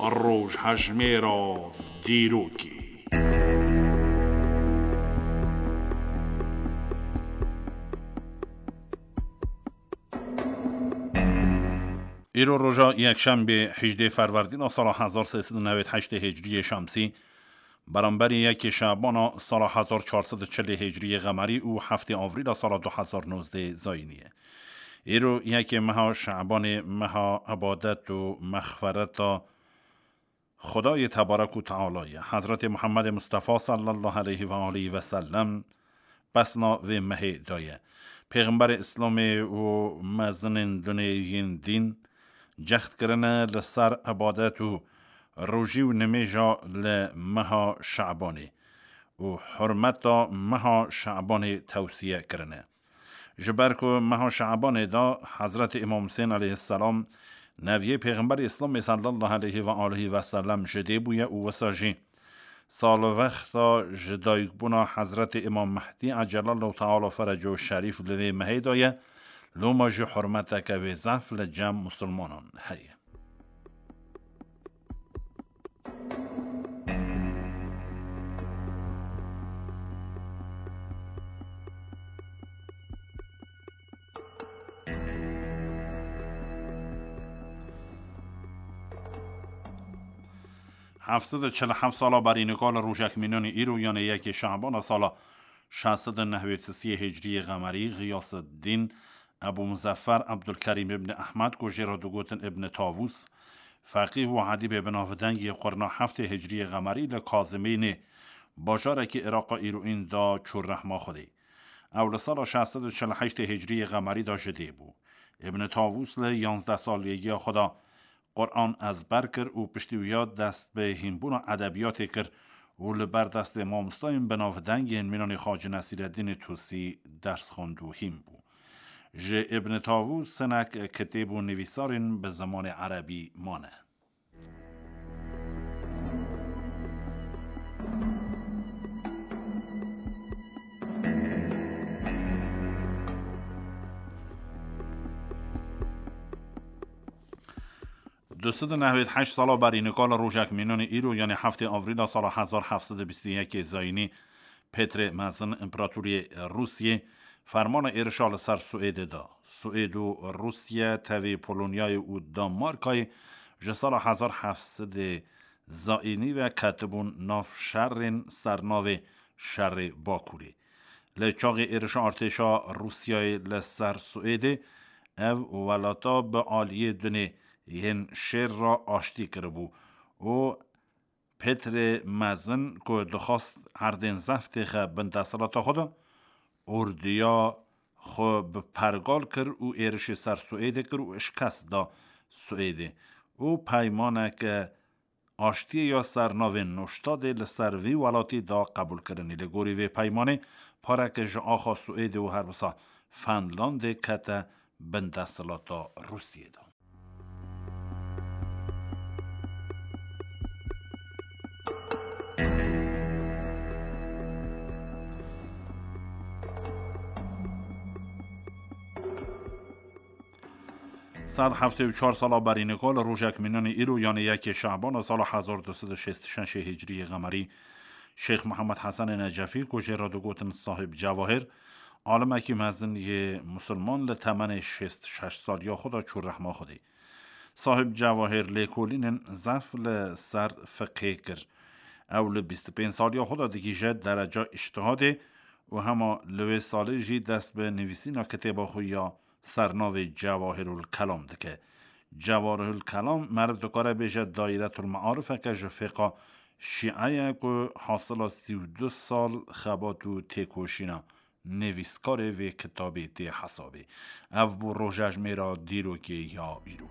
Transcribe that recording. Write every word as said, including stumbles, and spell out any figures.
Rojhejmêra dîrokê. Îro roja yekşembê hejdê Ferwerdîna sala hezar sê sed û newêd heştê Hicriyê Şemsî, beramberî yekê Şebana sala hezar çar sed û çilê Hicriyê Qemerî û heftê Avrîla sala du hezar nozdeh Zayînî ye. Îro yekê meha Şebanê, meha ebadet û mexfereta Xwedayê Tebarek û Teala ye. Hezretê Muhammedê Mustafa sallallahu aleyhi ve aleyhi ve sellem pesna vê mehê daye. Pêxemberê Îslamê û mezinên dunê yên dîn cehd kirine li ser ebadet û rojî û nimêja li meha Şebanê û hurmeta meha Şebanê tewsiye kirine. Ji ber ku meha Şebanê de Hezretê Îmam Husên aleyhisselam neviyê Pêxemberê Îslamê sallallahu aleyhi ve aleyhi ve sellem ji dê bûye û wisa jî salvexta ji dayikbûna Hezretê Îmam Mehdî ecelallahu teala fereco şerîf li vê mehê de ye, loma jî hurmeteke wê zaf li cem musulmanan heye. Heft sed û çil û heft sala berî nika li rojek mînanî îro, yanê yekê Şebana sala şeş sed û nehwêd sisiyê Hicriyê Qemerî, Xiyaseddîn Ebû Muzeffer Ebdulkerîm ibn Ehmed, ku jê re digotin Ibn Tavûs, feqîh û edîbê binavdeng yê qurna heftê Hicriyê Qemerî li Kazimînê, bajarekî Îraqa îroîn de çû rehma Xwedê. Ew li sala şeş sed û çil û heştê Hicriyê Qemerî de ji dê bû. Ibn Tavûs li yanzdeh saliyegiya xwe de Quran ezber kir û piştî wiya dest bi hînbûna edebiyatê kir û li ber destê mamostayên binavdeng yên mînanê Xacî Nesîreddînê Tusî ders xwend û hîn bû. Ji Ibn Tavûs hinek kitêb û nivîsarên bi zimanê erebî mane. Du sed û nehwêd heşt sala berî nika li rojek mînanî îro, yanê heftê Avrîla sala hezar heft sed û bîst û yekê Zayînî, Petrê Mezin, împeratorê Rûsiyê, fermana êrişa li ser Swêdê da. Swêd û Rûsiye tevî Polonyayê û Danmarkayê ji sala hezar heft sed Zayînî ve ketibûn nav şerên sernavê Şerê Bakurê. Li çaxê êrişa artêşa Rûsiyayê li ser Swêdê, ev welata bi aliyê dunê yên şêr re aştî kiribû û Petrê Mezin ku dixwast erdên zeft têxe bin desthilata xwe de, ordiya xwe bi pergal kir û êrişê ser Swêdê kir û şikest da Swêdê û peymaneke aştiyê ya ser navê Nûştadê li ser vî welatî da qebûlkirinê. Li gorî vê peymanê pareke ji axa Swêdê û her wisa Fenlandê kete bin desthilata Rûsiyê de. Sed heftê û çar sala berî nika li rojek mînanî îro, yanê yekê Şebana sala hezar du sed û şêst û şeş Hicriyê Qemerî, Şêx Mihemed Hesenê Necefî, ku jê re digotin Sahib Cewahir, alimekî mezin yê musulman, li temenê şêst û şeş saliya xwe de çû rehma Xwedê. Sahib Cewahir lêkolînên zef li ser fiqhê kir. Ew li bîst û pênc saliya xwe de digihîje dereca îctihadê û hema li wê salê jî dest bi nivîsîna kitêba xwe ya sernavê Cewahirul Kelam dike. Cewahirul Kelam meriv dikare bêje dairetul mearifeke ji fêqa şîe ye ku hasila sî û du sal xebat û têkoşîna nivîskarê vê kitabê tê hesabê. Ev bû rojejmêra dîrokê ya îro.